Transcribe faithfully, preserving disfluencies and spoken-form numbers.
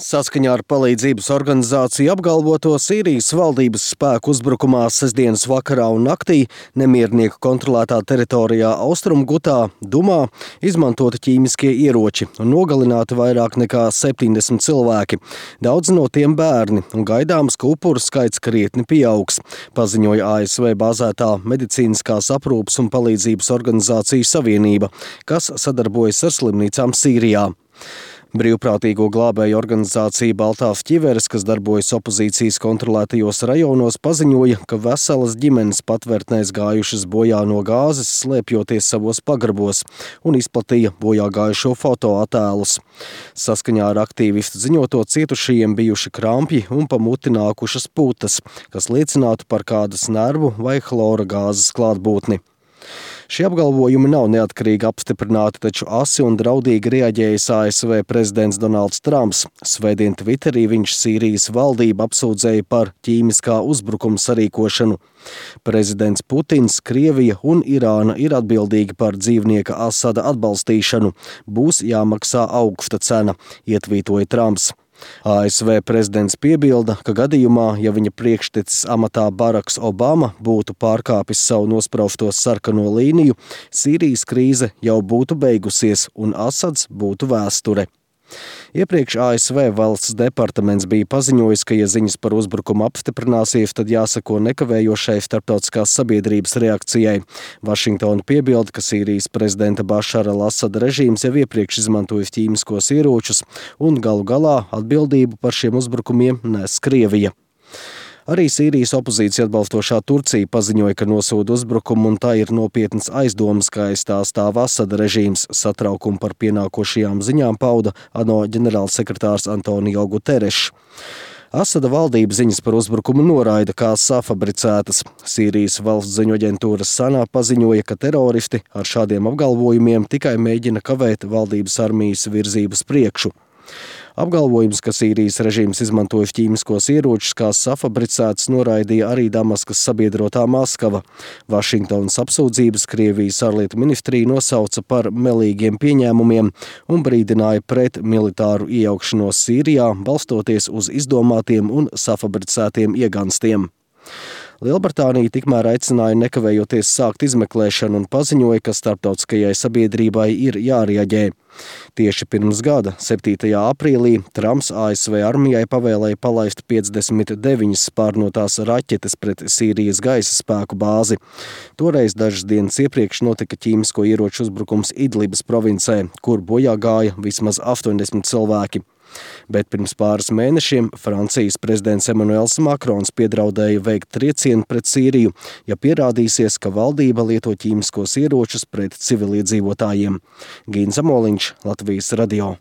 Saskaņā ar palīdzības organizāciju apgalvoto Sīrijas valdības spēku uzbrukumā sestdienas vakarā un naktī nemiernieku kontrolētā teritorijā Austrumgutā, Dumā, izmantoti ķīmiskie ieroči un nogalināti vairāk nekā septiņdesmit cilvēki. Daudz no tiem bērni un gaidāms, ka upuru skaits krietni pieaugs, paziņoja A S V bāzētā medicīniskās aprūpes un palīdzības organizāciju savienība, kas sadarbojas ar slimnīcām Sīrijā. Brīvprātīgo glābēju organizācija Baltās ķiveres, kas darbojas opozīcijas kontrolētajos rajonos, paziņoja, ka veselas ģimenes patvērtnēs gājušas bojā no gāzes, slēpjoties savos pagrabos, un izplatīja bojā gājušo fotoattēlus. Saskaņā ar aktīvistu ziņoto cietušajiem bijuši krampji un pa muti nākušas putas, kas liecinātu par kādas nervu vai chlora gāzes klātbūtni. Šie apgalvojumi nav neatkarīgi apstiprināti, taču asi un draudīgi reaģējis A S V prezidents Donalds Trumps. Svētdien Twitterī viņš Sīrijas valdību apsūdzēja par ķīmiskā uzbrukuma sarīkošanu. Prezidents Putins, Krievija un Irāna ir atbildīgi par dzīvnieka Asada atbalstīšanu. Būs jāmaksā augsta cena, ietvītoja Trumps. A S V prezidents piebilda, ka gadījumā, ja viņa priekštecis amatā Baraks Obama būtu pārkāpis savu nosprausto sarkano līniju, Sīrijas krīze jau būtu beigusies un Asads būtu vēsture. Iepriekš A S V valsts departaments bija paziņojis, ka, ja ziņas par uzbrukumu apstiprināsies, tad jāsako nekavējošai starptautiskās sabiedrības reakcijai. Vašingtona piebilda, ka Sīrijas prezidenta Bašara al-Asada režīms jau iepriekš izmantojis ķīmiskos ieročus un galu galā atbildību par šiem uzbrukumiem nes Krievija. Arī Sīrijas opozīcija atbalstošā Turcija paziņoja, ka nosoda uzbrukumu un tā ir nopietnas aizdomas, ka aiz tā stāv Asada režīms. Satraukumu par pienākošajām ziņām pauda ANO ģenerālsekretārs Antonio Guterres. Asada valdība ziņas par uzbrukumu noraida kā safabricētas. Sīrijas valsts ziņu aģentūra Sana paziņoja, ka teroristi ar šādiem apgalvojumiem tikai mēģina kavēt valdības armijas virzības priekšu. Apgalvojums, ka Sīrijas režīms izmantoja ķīmiskos ieročus kā safabricētus, noraidīja arī Damaskas sabiedrotā Maskava. Vašingtonas apsūdzības Krievijas ārlietu ministrija nosauca par melīgiem pieņēmumiem un brīdināja pret militāru iejaukšanos Sīrijā, balstoties uz izdomātiem un safabricētiem ieganstiem. Lielbritānija tikmēr aicināja nekavējoties sākt izmeklēšanu un paziņoja, ka starptautiskajai sabiedrībai ir jārieģē. Tieši pirms gada, septītajā aprīlī, Trumps A S V armijai pavēlēja palaist piecdesmit deviņas spārnotās raķetes pret Sīrijas gaisa spēku bāzi. Toreiz dažas dienas iepriekš notika ķīmisko ieroču uzbrukums Idlibas provincē, kur bojā gāja vismaz astoņdesmit cilvēki. Bet pirms pāris mēnešiem Francijas prezidents Emmanuels Makrons piedraudēja veikt triecienu pret Sīriju, ja pierādīsies, ka valdība lieto ķīmiskos ieročus pret civiliedzīvotājiem. Gīns Amoliņš, Latvijas radio.